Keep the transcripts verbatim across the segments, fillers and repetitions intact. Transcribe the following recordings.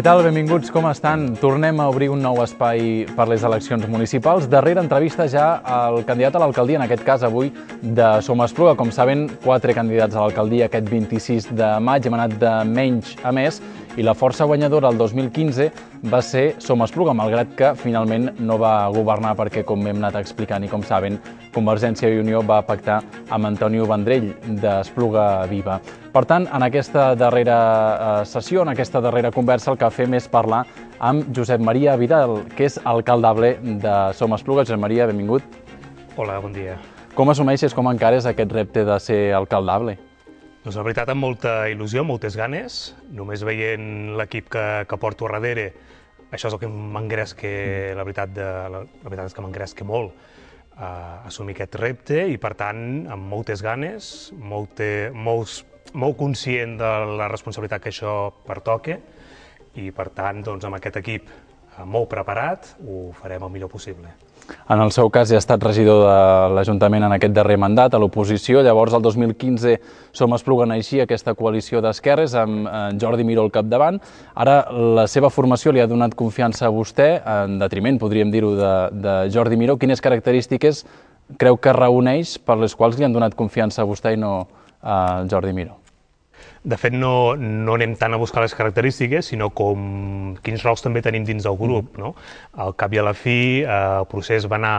Què tal? Benvinguts, com estan? Tornem a obrir un nou espai per les eleccions municipals. Darrera entrevista ja al candidat a l'alcaldia, en aquest cas avui de Som Espluga. Com saben, quatre candidats a l'alcaldia aquest vint-i-sis de maig. Hem anat de menys a més i la força guanyadora el dos mil quinze va ser Som Espluga, malgrat que finalment no va governar perquè, com hem anat explicant i com saben, Convergència i Unió va pactar amb Antonio Vendrell d'Espluga Viva. Per tant, en aquesta darrera sessió, en aquesta darrera conversa, el que fem és parlar amb Josep Maria Vidal, que és alcaldable de Som Espluga. Josep Maria, benvingut. Hola, bon dia. Com assumeixes, com encares aquest repte de ser alcaldable? Doncs la veritat, amb molta il·lusió, moltes ganes. Només veient l'equip que, que porto a darrere, això és el que m'engresca, la veritat, de, la, la veritat és que m'engresca molt a assumir aquest repte i, per tant, amb moltes ganes, molt, molt, molt conscient de la responsabilitat que això pertoca i, per tant, doncs, amb aquest equip molt preparat, ho farem el millor possible. En el seu cas ja ha estat regidor de l'Ajuntament en aquest darrer mandat, a l'oposició. Llavors, el dos mil quinze, Som Espluga naixia aquesta coalició d'esquerres amb Jordi Miró al capdavant. Ara la seva formació li ha donat confiança a vostè, en detriment, podríem dir-ho, de, de Jordi Miró. Quines característiques creu que reuneix per les quals li han donat confiança a vostè i no a Jordi Miró? De fet, no, no anem tant a buscar les característiques, sinó com quins rols també tenim dins del grup. No? Al cap i a la fi, eh, el procés va anar,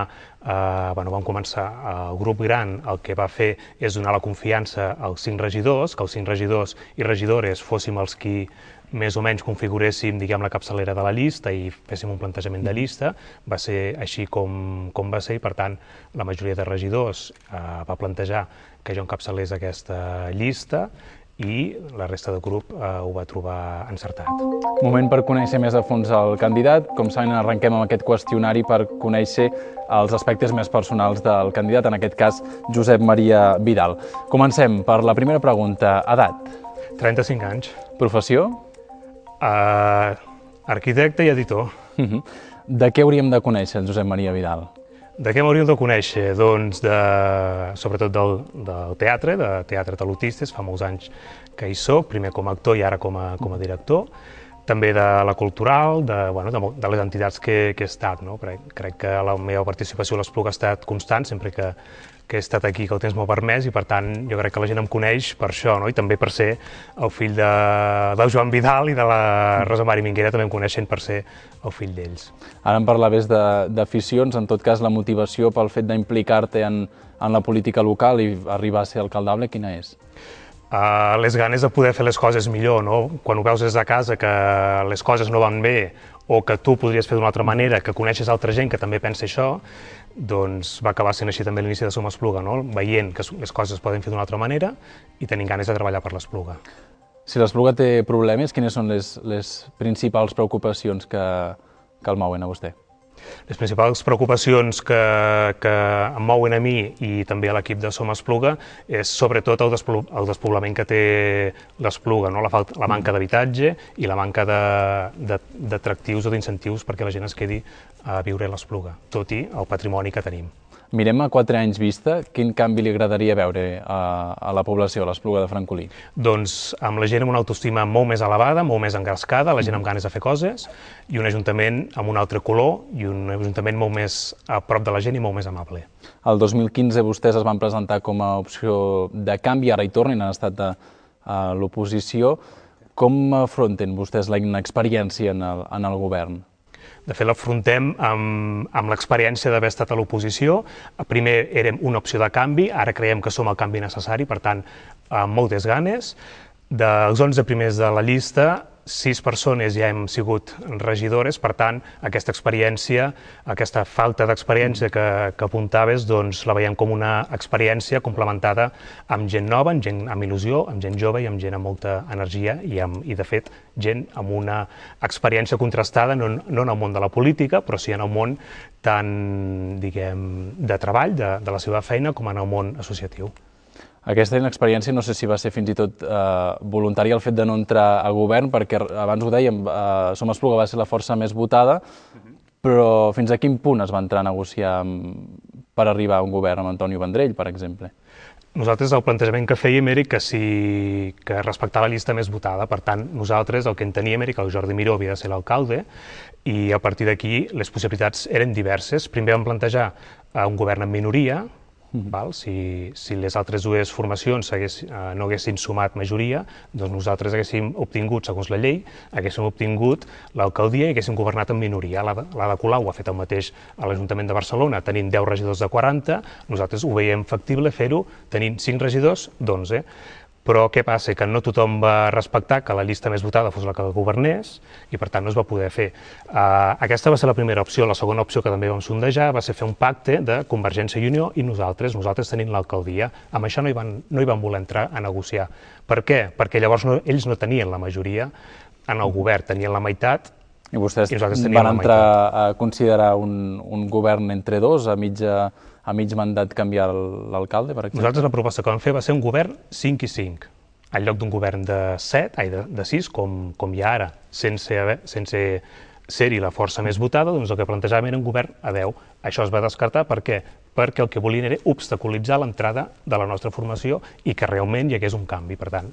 eh, bueno, vam començar, el grup gran el que va fer és donar la confiança als cinc regidors, que els cinc regidors i regidores fóssim els qui més o menys configuréssim, diguem, la capçalera de la llista i féssim un plantejament de llista. Va ser així com, com va ser i, per tant, la majoria de regidors eh, va plantejar que jo encapçalés aquesta llista i la resta del grup eh, ho va trobar encertat. Moment per conèixer més a fons el candidat. Com saben, arrenquem amb aquest qüestionari per conèixer els aspectes més personals del candidat, en aquest cas, Josep Maria Vidal. Comencem per la primera pregunta. Edat? trenta-cinc anys. Professió? Uh, arquitecte i editor. Uh-huh. De què hauríem de conèixer el Josep Maria Vidal? De què m'hauríem de conèixer? Doncs de, sobretot del, del teatre, de Teatre Talutistes, fa molts anys que hi soc, primer com a actor i ara com a, com a director. També de la cultural, de, bueno, de, de les entitats que, que he estat. No? Crec que la meva participació a l'Espluga ha estat constant, sempre que, que he estat aquí, que el temps m'ho ha permès, i per tant jo crec que la gent em coneix per això, no? I també per ser el fill de, del Joan Vidal i de la Rosa Mari Minguera, també em coneixen per ser el fill d'ells. Ara em parlaves d'aficions, en tot cas la motivació pel fet d'implicar-te en, en la política local i arribar a ser alcaldable, quina és? Uh, les ganes de poder fer les coses millor, no? Quan ho veus des de casa que les coses no van bé o que tu podries fer d'una altra manera, que coneixes altra gent que també pensa això, doncs va acabar sent així també l'inici de Som Espluga, no? Veient que les coses es poden fer d'una altra manera i tenint ganes de treballar per l'Espluga. Si l'Espluga té problemes, quines són les, les principals preocupacions que, que el mouen a vostè? Les principals preocupacions que, que em mouen a mi i també a l'equip de Som Espluga és sobretot el, desplo, el despoblament que té l'Espluga, no? la, falta, la manca d'habitatge i la manca d'atractius o d'incentius perquè la gent es quedi a viure a l'Espluga, tot i el patrimoni que tenim. Mirem a quatre anys vista, quin canvi li agradaria veure a, a la població, a l'Espluga de Francolí? Doncs amb la gent amb una autoestima molt més elevada, molt més engrescada, la gent amb ganes de fer coses, i un ajuntament amb un altre color i un ajuntament molt més a prop de la gent i molt més amable. El dos mil quinze vostès es van presentar com a opció de canvi, ara hi tornen, han estat a, a l'oposició. Com afronten vostès la inexperiència en el, en el govern? De fet, l'afrontem amb, amb l'experiència d'haver estat a l'oposició. Primer érem una opció de canvi, ara creiem que som el canvi necessari, per tant, amb moltes ganes. Dels onze primers de la llista, sis persones ja hem sigut regidores, per tant, aquesta experiència, aquesta falta d'experiència que, que apuntaves, doncs la veiem com una experiència complementada amb gent nova, amb gent amb il·lusió, amb gent jove i amb gent amb molta energia i, amb, i de fet, gent amb una experiència contrastada, no, no en el món de la política, però sí en el món tant, diguem, de treball, de, de la seva feina, com en el món associatiu. Aquesta inexperiència no sé si va ser fins i tot eh, voluntària el fet de no entrar a govern, perquè abans ho dèiem, eh, Som Espluga va ser la força més votada, però fins a quin punt es va entrar a negociar per arribar a un govern amb Antonio Vendrell, per exemple? Nosaltres el plantejament que fèiem era que, si, que respectava la llista més votada. Per tant, nosaltres el que enteníem era que el Jordi Miró havia de ser l'alcalde i a partir d'aquí les possibilitats eren diverses. Primer vam plantejar un govern en minoria, val? Si, si les altres dues formacions hagués, eh, no haguessin sumat majoria, doncs nosaltres haguéssim obtingut, segons la llei, haguéssim obtingut l'alcaldia i haguéssim governat en minoria. L'Ada Colau ha fet el mateix a l'Ajuntament de Barcelona, tenint deu regidors de quaranta, nosaltres ho veiem factible fer-ho tenint cinc regidors d'onze. Però què passa? Que no tothom va respectar que la llista més votada fos la que governés i per tant no es va poder fer. Uh, aquesta va ser la primera opció. La segona opció que també vam sondejar va ser fer un pacte de Convergència i Unió i nosaltres, nosaltres tenint l'alcaldia. Amb això no hi, van, no hi van voler entrar a negociar. Per què? Perquè llavors no, ells no tenien la majoria en el govern, tenien la meitat. I vostès i van entrar a considerar un, un govern entre dos a mitja... a mig mandat canviar l'alcalde, per exemple? Nosaltres la proposta que vam fer va ser un govern cinc i cinc, en lloc d'un govern de set, ai, de, de sis, com, com hi ha ara, sense, sense ser-hi la força més votada, doncs el que plantejàvem era un govern a deu. Això es va descartar, per què? Perquè el que volien era obstaculitzar l'entrada de la nostra formació i que realment hi hagués un canvi. Per tant,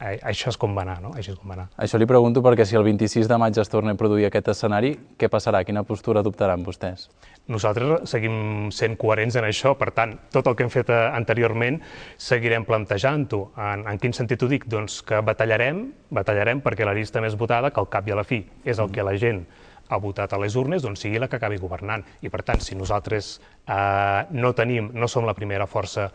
això és com va anar, no? Això és com va anar. Això li pregunto perquè si el vint-i-sis de maig es torna a produir aquest escenari, què passarà? Quina postura adoptaran vostès? Nosaltres seguim sent coherents en això, per tant, tot el que hem fet anteriorment seguirem plantejant-ho. En, en quin sentit ho dic? Doncs que batallarem, batallarem perquè la llista més votada, que al cap i a la fi és el que la gent ha votat a les urnes, doncs sigui la que acabi governant. I per tant, si nosaltres eh, no tenim, no som la primera força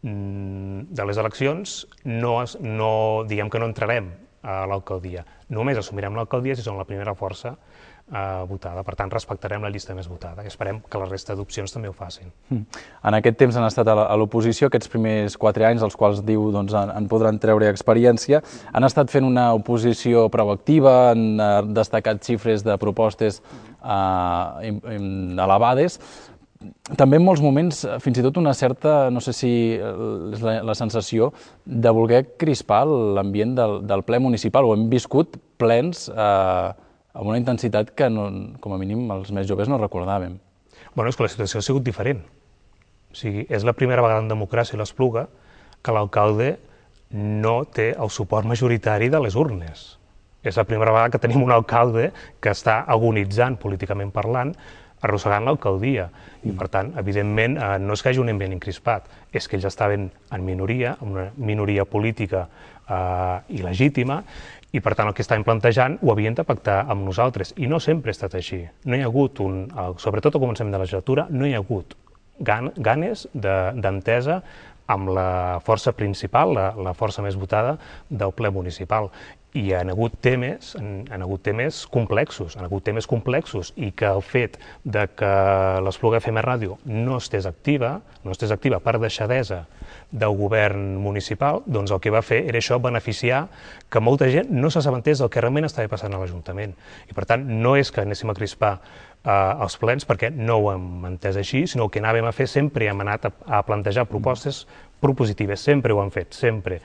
de les eleccions, no, no, diguem que no entrarem a l'alcaldia. Només assumirem l'alcaldia si som la primera força eh, votada. Per tant, respectarem la llista més votada i esperem que la resta d'opcions també ho facin. En aquest temps han estat a l'oposició, aquests primers quatre anys, els quals diu doncs, en, en podran treure experiència. Han estat fent una oposició proactiva, han destacat xifres de propostes eh, elevades. També en molts moments, fins i tot una certa, no sé si és la, la sensació, de voler crispar l'ambient del, del ple municipal. Ho hem viscut plens eh, amb una intensitat que, no, com a mínim, els més joves no recordàvem. Bueno, és que la situació ha sigut diferent. O sigui, és la primera vegada en democràcia a l'Espluga que l'alcalde no té el suport majoritari de les urnes. És la primera vegada que tenim un alcalde que està agonitzant, políticament parlant, arrossegant l'alcaldia. I, per tant, evidentment, eh, no és que hi hagi un ambient encrispat, és que ells estaven en minoria, en una minoria política eh, il·legítima, i, per tant, el que estaven plantejant ho havien de pactar amb nosaltres. I no sempre ha estat així. No hi ha hagut, un, sobretot al començament de la legislatura, no hi ha hagut gan, ganes d'entesa amb la força principal, la, la força més votada del ple municipal. I hi ha hagut temes, han, han hagut temes complexos, han hagut temes complexos i que el fet de que l'Espluga F M Ràdio no estés activa, no estés activa per deixadesa del govern municipal, doncs el que va fer era això, beneficiar que molta gent no s'assabentés del que realment estava passant a l'Ajuntament. I per tant, no és que anéssim a crispar eh, els plens perquè no ho hem entès així, sinó que anàvem a fer sempre, hem anat a, a plantejar propostes propositives, sempre ho han fet, sempre.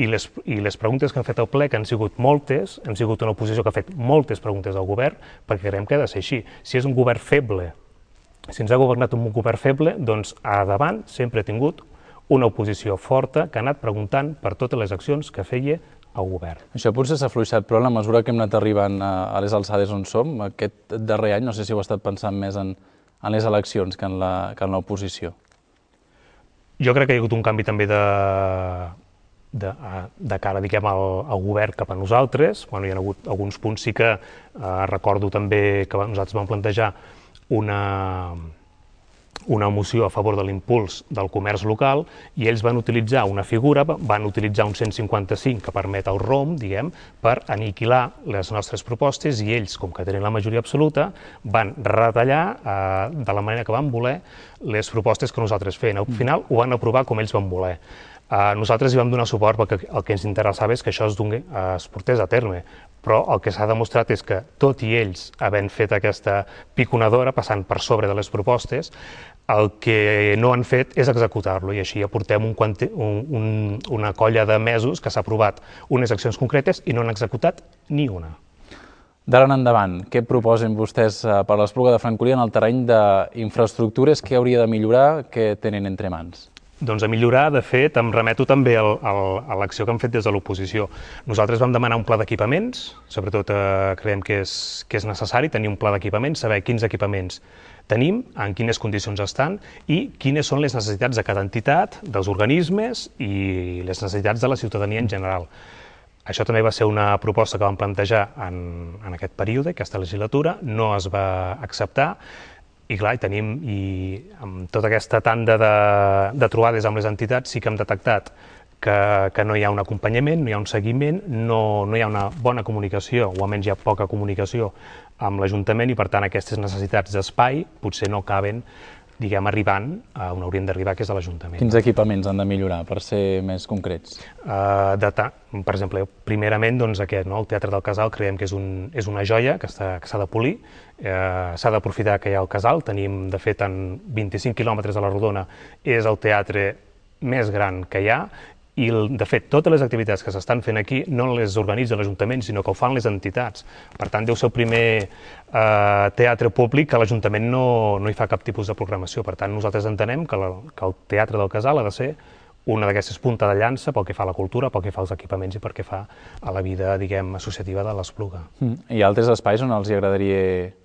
I les, I les preguntes que han fet al ple, que han sigut moltes, hem sigut una oposició que ha fet moltes preguntes al govern, perquè creiem que ha de ser així. Si és un govern feble, si ens ha governat un govern feble, doncs a davant sempre ha tingut una oposició forta que ha anat preguntant per totes les accions que feia el govern. Això potser s'ha afluixat, però en la mesura que hem anat arribant a les alçades on som, aquest darrer any, no sé si heu estat pensant més en, en les eleccions que en l'oposició. Jo crec que hi ha hagut un canvi també de, de, de cara, diguem, al, al govern cap a nosaltres. Bueno, hi ha hagut alguns punts, sí que eh, recordo també que nosaltres vam plantejar una, una moció a favor de l'impuls del comerç local i ells van utilitzar una figura, van utilitzar un cent cinquanta-cinc que permet el R O M, diguem, per aniquilar les nostres propostes i ells, com que tenen la majoria absoluta, van retallar eh, de la manera que van voler les propostes que nosaltres feien. Al final ho van aprovar com ells van voler. Uh, nosaltres hi vam donar suport perquè el que ens interessava és que això es, doni, uh, es portés a terme, però el que s'ha demostrat és que, tot i ells havent fet aquesta piconadora, passant per sobre de les propostes, el que no han fet és executar-lo, i així ja portem un, un, un, una colla de mesos que s'ha aprovat unes accions concretes i no han executat ni una. D'ara en endavant, què proposen vostès per l'Espluga de Francolí en el terreny d'infraestructures? Què hauria de millorar? Què tenen entre mans? Doncs a millorar, de fet, em remeto també al, al, a l'acció que hem fet des de l'oposició. Nosaltres vam demanar un pla d'equipaments, sobretot eh, creiem que és, que és necessari tenir un pla d'equipaments, saber quins equipaments tenim, en quines condicions estan i quines són les necessitats de cada entitat, dels organismes i les necessitats de la ciutadania en general. Això també va ser una proposta que vam plantejar en, en aquest període, aquesta legislatura, no es va acceptar, i clar, i tenim, i amb tota aquesta tanda de, de trobades amb les entitats sí que hem detectat que, que no hi ha un acompanyament, no hi ha un seguiment, no, no hi ha una bona comunicació, o almenys hi ha poca comunicació amb l'Ajuntament, i per tant aquestes necessitats d'espai potser no caben, diguem, arribant a on hauríem d'arribar, que és a l'Ajuntament. Quins equipaments han de millorar, per ser més concrets? Uh, de per exemple, primerament, doncs, aquest, no? El Teatre del Casal creiem que és, un, és una joia que s'ha de polir, uh, s'ha d'aprofitar que hi ha el casal, tenim, de fet, en vint-i-cinc quilòmetres a la Rodona, és el teatre més gran que hi ha, i, de fet, totes les activitats que s'estan fent aquí no les organitza l'Ajuntament, sinó que ho fan les entitats. Per tant, deu ser el primer eh, teatre públic que l'Ajuntament no, no hi fa cap tipus de programació. Per tant, nosaltres entenem que, la, que el Teatre del Casal ha de ser una d'aquestes punta de llança pel que fa a la cultura, pel que fa als equipaments i pel que fa a la vida, diguem, associativa de l'Espluga. Mm. Hi ha altres espais on els agradaria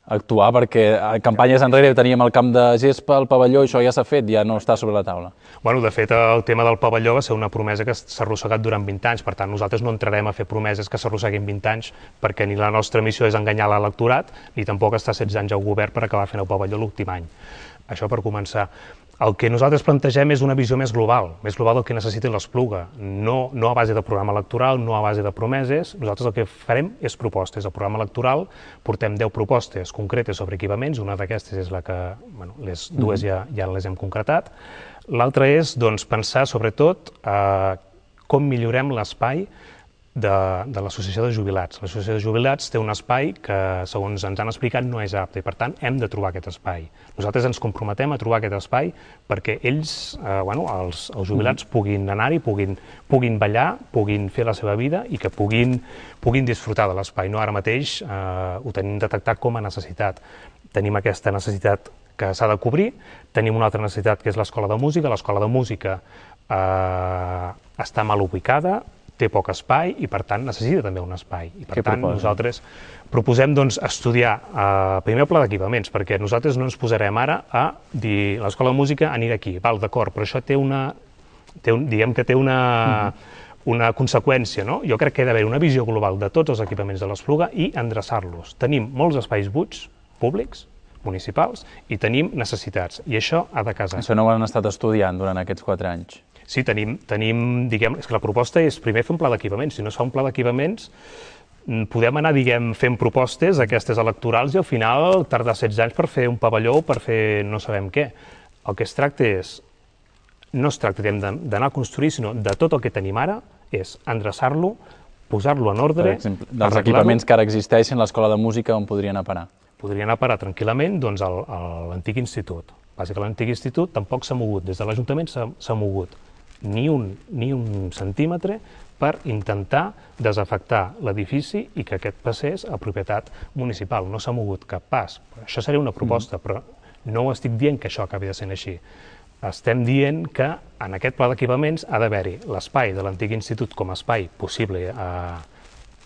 actuar, perquè a campanyes enrere teníem el camp de gespa, el pavelló, i això ja s'ha fet, ja no està sobre la taula. Bueno, de fet, el tema del pavelló va ser una promesa que s'ha arrossegat durant vint anys, per tant, nosaltres no entrarem a fer promeses que s'arrosseguin vint anys, perquè ni la nostra missió és enganyar l'electorat, ni tampoc estar setze anys al govern per acabar fent el pavelló l'últim any. Això per començar. El que nosaltres plantegem és una visió més global, més global del que necessita l'Espluga, no, no a base de programa electoral, no a base de promeses. Nosaltres el que farem és propostes. Al programa electoral portem deu propostes concretes sobre equipaments, una d'aquestes és la que, bueno, les dues ja, ja les hem concretat. L'altra és, doncs, pensar sobretot eh, com millorem l'espai de, de l'Associació de Jubilats. L'Associació de Jubilats té un espai que, segons ens han explicat, no és apte, i per tant hem de trobar aquest espai. Nosaltres ens comprometem a trobar aquest espai perquè ells, eh, bueno, els, els jubilats puguin anar-hi, puguin, puguin ballar, puguin fer la seva vida i que puguin, puguin disfrutar de l'espai. No, ara mateix eh, ho tenim detectat com a necessitat. Tenim aquesta necessitat que s'ha de cobrir, tenim una altra necessitat que és l'Escola de Música. L'Escola de Música eh, està mal ubicada, té poc espai i, per tant, necessita també un espai. I, per tant, nosaltres proposem doncs, estudiar eh, primer el pla d'equipaments, perquè nosaltres no ens posarem ara a dir l'Escola de Música anirà aquí, val, d'acord, però això té una, té un, diguem que té una, uh-huh. una conseqüència, no? Jo crec que ha d'haver una visió global de tots els equipaments de l'Espluga i endreçar-los. Tenim molts espais buits, públics, municipals, i tenim necessitats, i això ha de casar. Això no ho han estat estudiant durant aquests quatre anys. Sí, tenim, tenim, diguem, és que la proposta és primer fer un pla d'equipaments. Si no es fa un pla d'equipaments, podem anar, diguem, fent propostes, aquestes electorals, i al final tardar setze anys per fer un pavelló o per fer no sabem què. El que es tracta és, no es tracta d'anar a construir, sinó de tot el que tenim ara, és endreçar-lo, posar-lo en ordre... Per exemple, dels equipaments que ara existeixen, l'Escola de Música, on podrien anar a parar? Podrien anar a parar tranquil·lament doncs, a l'antic institut. Bàsicament, l'antic institut tampoc s'ha mogut, des de l'Ajuntament s'ha mogut ni un, ni un centímetre per intentar desafectar l'edifici i que aquest passés a propietat municipal. No s'ha mogut cap pas. Això seria una proposta, però no ho estic dient que això acabi de ser així. Estem dient que en aquest pla d'equipaments ha d'haver-hi l'espai de l'antic institut com a espai possible a,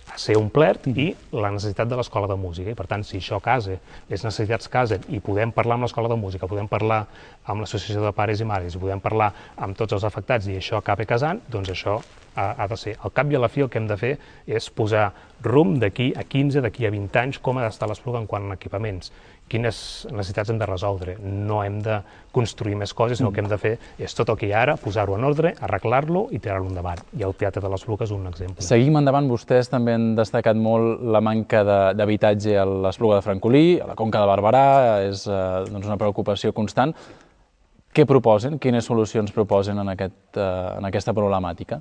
a ser omplert i la necessitat de l'Escola de Música. I per tant, si això casa, les necessitats casen i podem parlar amb l'Escola de Música, podem parlar amb l'Associació de Pares i Mares, i podem parlar amb tots els afectats i això acaba casant, doncs això ha, ha de ser. Al cap i a la fi el que hem de fer és posar rumb d'aquí a quinze, d'aquí a vint anys, com ha d'estar l'Espluga en quant a equipaments, quines necessitats hem de resoldre. No hem de construir més coses, sinó el que hem de fer és tot el que hi ha ara, posar-ho en ordre, arreglar-lo i tirar-lo endavant. I el Teatre de l'Espluga és un exemple. Seguim endavant. Vostès també han destacat molt la manca d'habitatge a l'Espluga de Francolí, a la Conca de Barberà, és eh, doncs una preocupació constant. Què proposen? Quines solucions proposen en, aquest, eh, en aquesta problemàtica?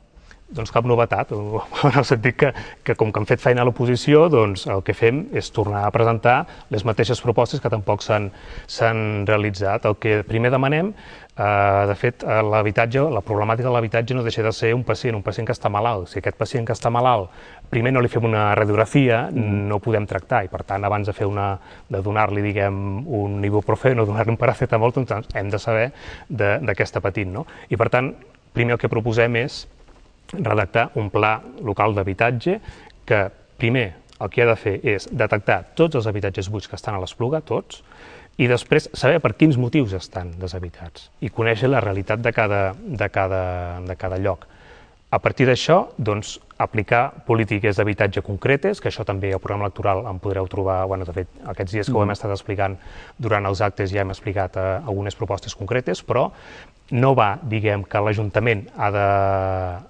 doncs cap novetat, en el sentit que, que com que han fet feina a l'oposició, doncs el que fem és tornar a presentar les mateixes propostes que tampoc s'han realitzat. El que primer demanem, eh, de fet, l'habitatge, la problemàtica de l'habitatge no deixa de ser un pacient, un pacient que està malalt. Si aquest pacient que està malalt, primer no li fem una radiografia, mm. no podem tractar, i per tant, abans de fer una, de donar-li, diguem, un ibuprofeno o donar-li un paracetamol, doncs hem de saber de, de què està patint, no? I per tant, primer el que proposem és redactar un pla local d'habitatge que, primer, el que ha de fer és detectar tots els habitatges buits que estan a l'Espluga, tots, i després saber per quins motius estan deshabitats i conèixer la realitat de cada, de cada, de cada lloc. A partir d'això, doncs, aplicar polítiques d'habitatge concretes, que això també al programa electoral en podreu trobar, bueno, de fet, aquests dies que ho hem estat explicant durant els actes ja hem explicat eh, algunes propostes concretes, però no va, diguem, que l'Ajuntament ha, de,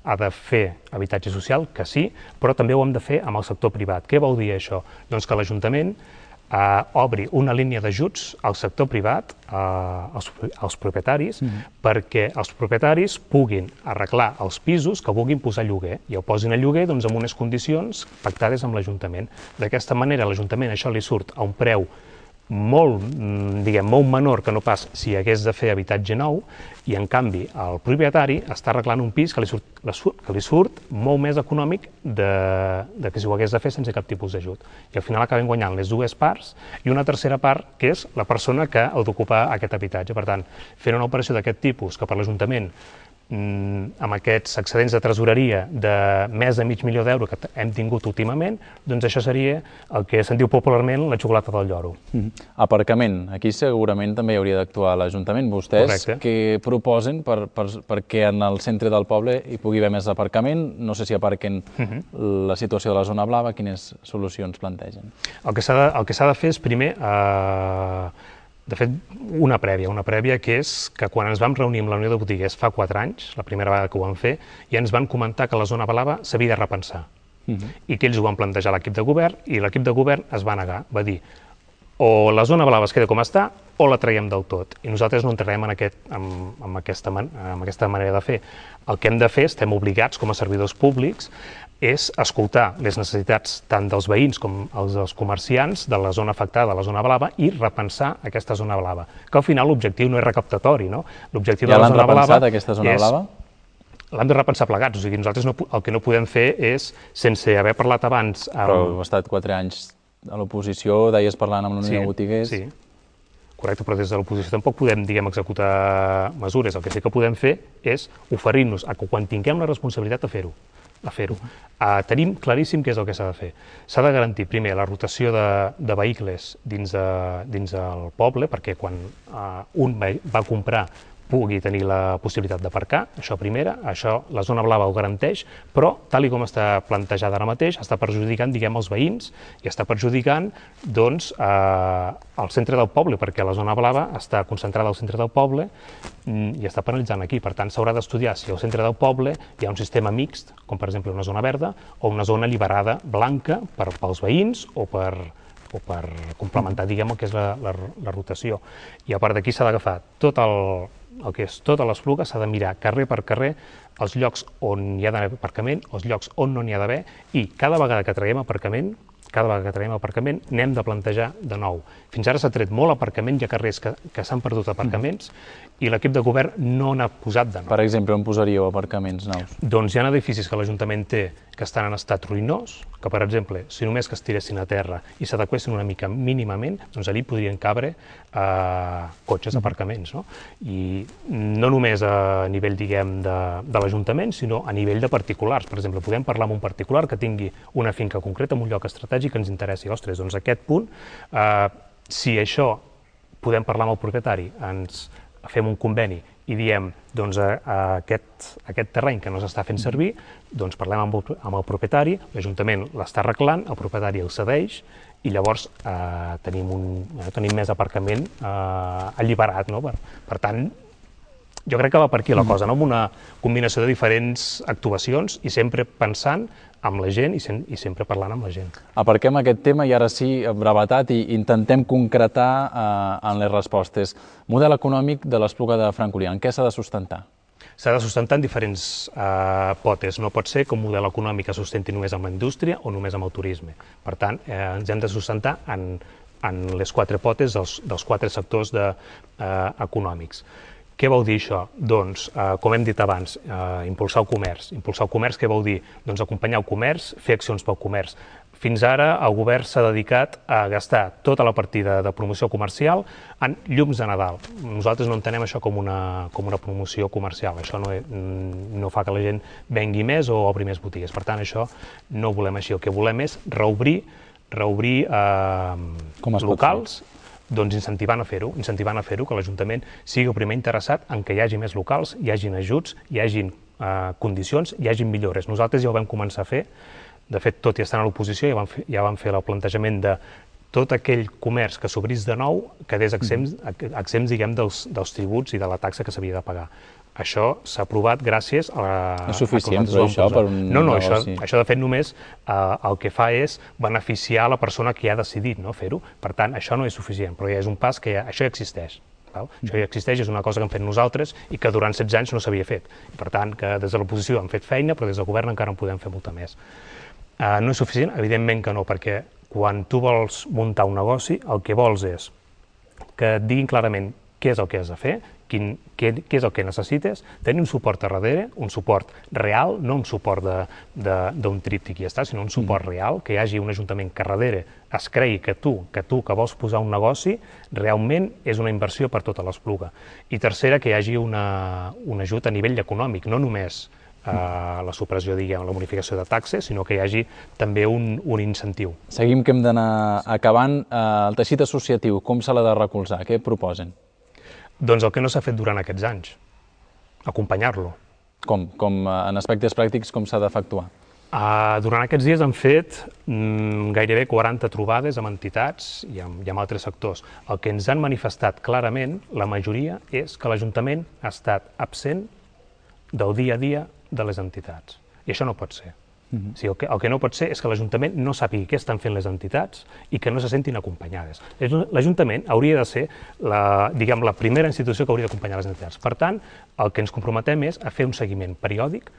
ha de fer habitatge social, que sí, però també ho hem de fer amb el sector privat. Què vol dir això? Doncs que l'Ajuntament eh, obri una línia d'ajuts al sector privat, eh, als, als propietaris, mm-hmm. perquè els propietaris puguin arreglar els pisos que vulguin posar a lloguer i el posin a lloguer doncs, amb unes condicions pactades amb l'Ajuntament. D'aquesta manera l'Ajuntament això li surt a un preu molt, diguem, molt menor que no pas si hagués de fer habitatge nou, i en canvi el propietari està arreglant un pis que li surt, que li surt molt més econòmic de, de que si ho hagués de fer sense cap tipus d'ajut. I al final acabem guanyant les dues parts i una tercera part que és la persona que ha d'ocupar aquest habitatge. Per tant, fent una operació d'aquest tipus que per l'Ajuntament amb aquests excedents de tresoreria de més de mig milió d'euros que hem tingut últimament, doncs això seria el que se'n diu popularment la xocolata del lloro. Mm-hmm. Aparcament. Aquí segurament també hi hauria d'actuar l'Ajuntament. Vostès Correcte. Què proposen per, per, perquè en el centre del poble hi pugui haver més aparcament? No sé si aparquen mm-hmm. la situació de la zona blava, quines solucions plantegen? El que s'ha de, el que s'ha de fer és primer eh, de fet, una prèvia, una prèvia que és que quan ens vam reunir amb la Unió de Botiguers fa quatre anys, la primera vegada que ho vam fer, ja ens van comentar que la zona blava s'havia de repensar. Uh-huh. I que ells ho van plantejar a l'equip de govern i l'equip de govern es va negar, va dir o la zona blava es queda com està o la traiem del tot. I nosaltres no entrarem en, aquest, en, en, aquesta, man, en aquesta manera de fer. El que hem de fer, estem obligats com a servidors públics, és escoltar les necessitats tant dels veïns com els dels comerciants de la zona afectada, de la zona blava, i repensar aquesta zona blava. Que al final l'objectiu no és recaptatori, no? L'objectiu ja de la zona blava repensat, aquesta zona és... blava? L'hem de repensar plegats, o sigui, nosaltres no, el que no podem fer és, sense haver parlat abans... Amb... Però heu estat quatre anys a l'oposició, deies parlant amb la Unió sí, de Botiguers... Sí, correcte, però des de l'oposició tampoc podem, diguem, executar mesures. El que sí que podem fer és oferir-nos a que quan tinguem la responsabilitat de fer-ho. a fer-ho. Uh, tenim claríssim què és el que s'ha de fer. S'ha de garantir, primer, la rotació de, de vehicles dins, de, dins del poble, perquè quan uh, un va comprar pugui tenir la possibilitat d'aparcar, això primera, això la zona blava ho garanteix, però, tal i com està plantejada ara mateix, està perjudicant, diguem, els veïns i està perjudicant, doncs, eh, el centre del poble, perquè la zona blava està concentrada al centre del poble i està penalitzant aquí. Per tant, s'haurà d'estudiar si al centre del poble hi ha un sistema mixt, com per exemple una zona verda, o una zona alliberada blanca per, pels veïns o per o per complementar, diguem, el que és la, la, la rotació. I a part d'aquí s'ha d'agafar tot el, el que és tota l'Espluga, s'ha de mirar carrer per carrer els llocs on hi ha d'haver aparcament, els llocs on no n'hi ha d'haver, i cada vegada que traiem aparcament, cada vegada que traiem aparcament, n'hem de plantejar de nou. Fins ara s'ha tret molt aparcament, hi ha carrers que, que s'han perdut aparcaments, i l'equip de govern no n'ha posat de nou. Per exemple, on posaríeu aparcaments nous? Doncs hi ha edificis que l'Ajuntament té que estan en estat ruïnós, que, per exemple, si només que es tiressin a terra i s'adequessin una mica mínimament, doncs allí podrien cabre eh, cotxes, aparcaments, no? I no només a nivell, diguem, de, de l'Ajuntament, sinó a nivell de particulars. Per exemple, podem parlar amb un particular que tingui una finca concreta en un lloc estratègic que ens interessi. Ostres, doncs aquest punt, eh, si això podem parlar amb el propietari, ens fem un conveni i diem, doncs, a, a aquest, aquest terreny que no s'està fent servir, doncs parlem amb el, amb el propietari, l'Ajuntament l'està arreglant, el propietari el cedeix, i llavors eh, tenim, un, eh, tenim més aparcament eh, alliberat, no? Per, per tant, jo crec que va per aquí la cosa, no? Amb una combinació de diferents actuacions i sempre pensant amb la gent i, sem i sempre parlant amb la gent. Aparquem aquest tema i ara sí, brevetat, i intentem concretar eh, en les respostes. Model econòmic de l'Espluga de Francolí, en què s'ha de sustentar? s'ha de sustentar en diferents eh, potes. No pot ser que un model econòmic es sustenti només amb la indústria o només amb el turisme. Per tant, eh, ens hem de sustentar en, en les quatre potes dels, dels quatre sectors de, eh, econòmics. Què vol dir això? Doncs, eh, com hem dit abans, eh, impulsar el comerç. Impulsar el comerç, què vol dir? Doncs acompanyar el comerç, fer accions pel comerç. Fins ara el govern s'ha dedicat a gastar tota la partida de promoció comercial en llums de Nadal. Nosaltres no entenem això com una, com una promoció comercial. Això no, no fa que la gent vengui més o obri més botigues. Per tant, això no ho volem així. El que volem és reobrir, reobrir eh, locals, doncs incentivant a fer-ho, incentivant a fer-ho, que l'Ajuntament sigui el primer interessat en que hi hagi més locals, hi hagin ajuts, hi hagin eh, condicions, hi hagin millores. Nosaltres ja ho vam començar a fer. De fet, tot i estar a l'oposició, ja, vam fer, ja vam fer el plantejament de tot aquell comerç que s'obrís de nou quedés exempts, exempts diguem, dels, dels tributs i de la taxa que s'havia de pagar. Això s'ha aprovat gràcies a... No és suficient, però això per un No, no, això, negoci. això de fet només eh, el que fa és beneficiar la persona que ha decidit no, fer-ho. Per tant, això no és suficient, però ja és un pas que ja, això ja existeix. Val? Això ja existeix, és una cosa que hem fet nosaltres i que durant setze anys no s'havia fet. I per tant, que des de l'oposició hem fet feina, però des del govern encara en podem fer molta més. Uh, no és suficient? Evidentment que no, perquè quan tu vols muntar un negoci, el que vols és que et diguin clarament què és el que has de fer, quin, què, què és el que necessites, tenir un suport a darrere, un suport real, no un suport d'un tríptic i ja està, sinó un suport mm. real, que hi hagi un ajuntament que a darrere es cregui que tu, que tu que vols posar un negoci, realment és una inversió per tota l'Espluga. I tercera, que hi hagi una, un ajut a nivell econòmic, no només Uh, la supressió, diguem, la bonificació de taxes, sinó que hi hagi també un, un incentiu. Seguim que hem d'anar acabant. Uh, el teixit associatiu, com se l'ha de recolzar? Què proposen? Doncs el que no s'ha fet durant aquests anys, acompanyar-lo. Com? Com uh, en aspectes pràctics, com s'ha d'efectuar? Uh, durant aquests dies han fet mm, gairebé quaranta trobades amb entitats i amb, i amb altres sectors. El que ens han manifestat clarament, la majoria, és que l'Ajuntament ha estat absent del dia a dia de les entitats. I això no pot ser. Uh-huh. O sigui, el, que, el que no pot ser és que l'Ajuntament no sàpigui què estan fent les entitats i que no se sentin acompanyades. L'Ajuntament hauria de ser la, diguem, la primera institució que hauria d'acompanyar les entitats. Per tant, el que ens comprometem és a fer un seguiment periòdic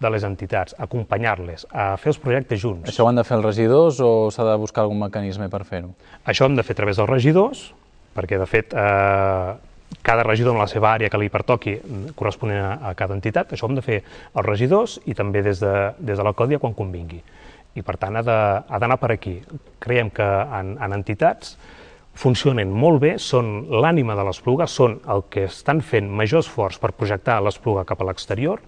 de les entitats, a acompanyar-les, a fer els projectes junts. Això ho han de fer els regidors o s'ha de buscar algun mecanisme per fer-ho? Això ho hem de fer a través dels regidors, perquè de fet eh, cada regidor en la seva àrea que li pertoqui corresponent a, a cada entitat, això ho hem de fer els regidors i també des de, des de l'alcaldia quan convingui. I per tant ha d'anar per aquí. Creiem que en, en entitats funcionen molt bé, són l'ànima de l'Espluga, són el que estan fent major esforç per projectar l'Espluga cap a l'exterior,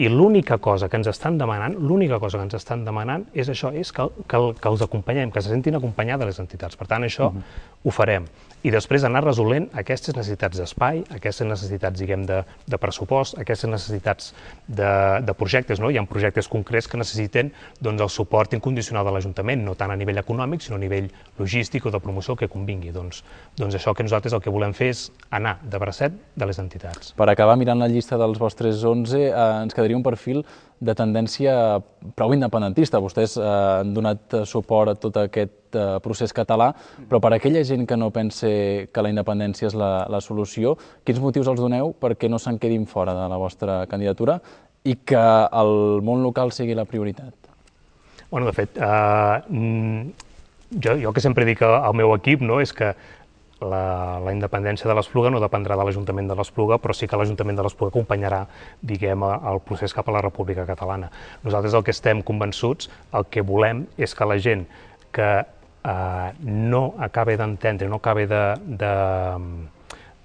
i l'única cosa que ens estan demanant, l'única cosa que ens estan demanant és això, és que, que, que els acompanyem, que se sentin acompanyades les entitats. Per tant, això uh-huh. ho farem. I després anar resolent aquestes necessitats d'espai, aquestes necessitats, diguem, de, de pressupost, aquestes necessitats de, de projectes, no? Hi ha projectes concrets que necessiten doncs, el suport incondicional de l'Ajuntament, no tant a nivell econòmic, sinó a nivell logístic o de promoció que convingui. Doncs, doncs això que nosaltres el que volem fer és anar de bracet de les entitats. Per acabar, mirant la llista dels vostres onze, eh, ens quedaria un perfil de tendència prou independentista. Vostès eh, han donat suport a tot aquest eh, procés català, però per a aquella gent que no pensa que la independència és la, la solució, quins motius els doneu perquè no se'n quedin fora de la vostra candidatura i que el món local sigui la prioritat? Bueno, de fet, eh, jo, jo que sempre dic al meu equip, no, és que La, la independència de l'Espluga no dependrà de l'Ajuntament de l'Espluga, però sí que l'Ajuntament de l'Espluga acompanyarà, diguem, el procés cap a la República Catalana. Nosaltres el que estem convençuts, el que volem és que la gent que eh, no acabi d'entendre, no acabi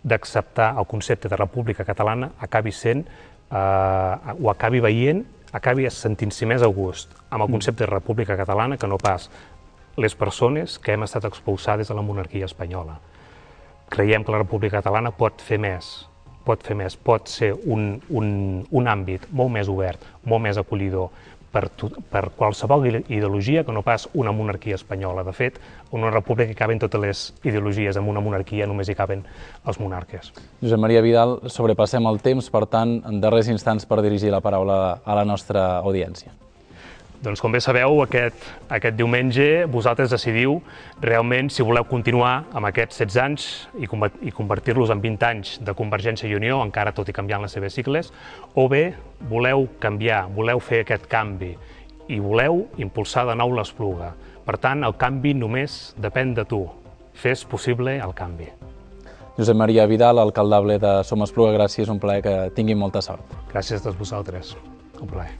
d'acceptar el concepte de República Catalana, acabi sent, eh, o acabi veient, acabi sentint-s'hi més a gust amb el concepte de República Catalana que no pas les persones que hem estat expulsades de la monarquia espanyola. Creiem que la República Catalana pot fer més, pot fer més, pot ser un, un, un àmbit molt més obert, molt més acollidor per, per qualsevol ideologia que no pas una monarquia espanyola. De fet, en una república hi caben totes les ideologies, en una monarquia només hi caben els monarques. Josep Maria Vidal, sobrepassem el temps, per tant, en darrers instants per dirigir la paraula a la nostra audiència. Doncs com bé sabeu, aquest, aquest diumenge vosaltres decidiu realment si voleu continuar amb aquests setze anys i, i convertir-los en vint anys de Convergència i Unió, encara tot i canviant les seves sigles, o bé voleu canviar, voleu fer aquest canvi i voleu impulsar de nou l'Espluga. Per tant, el canvi només depèn de tu. Fes possible el canvi. Josep Maria Vidal, alcaldable de Som Espluga, gràcies, un plaer, que tinguin molta sort. Gràcies a vosaltres. Un plaer.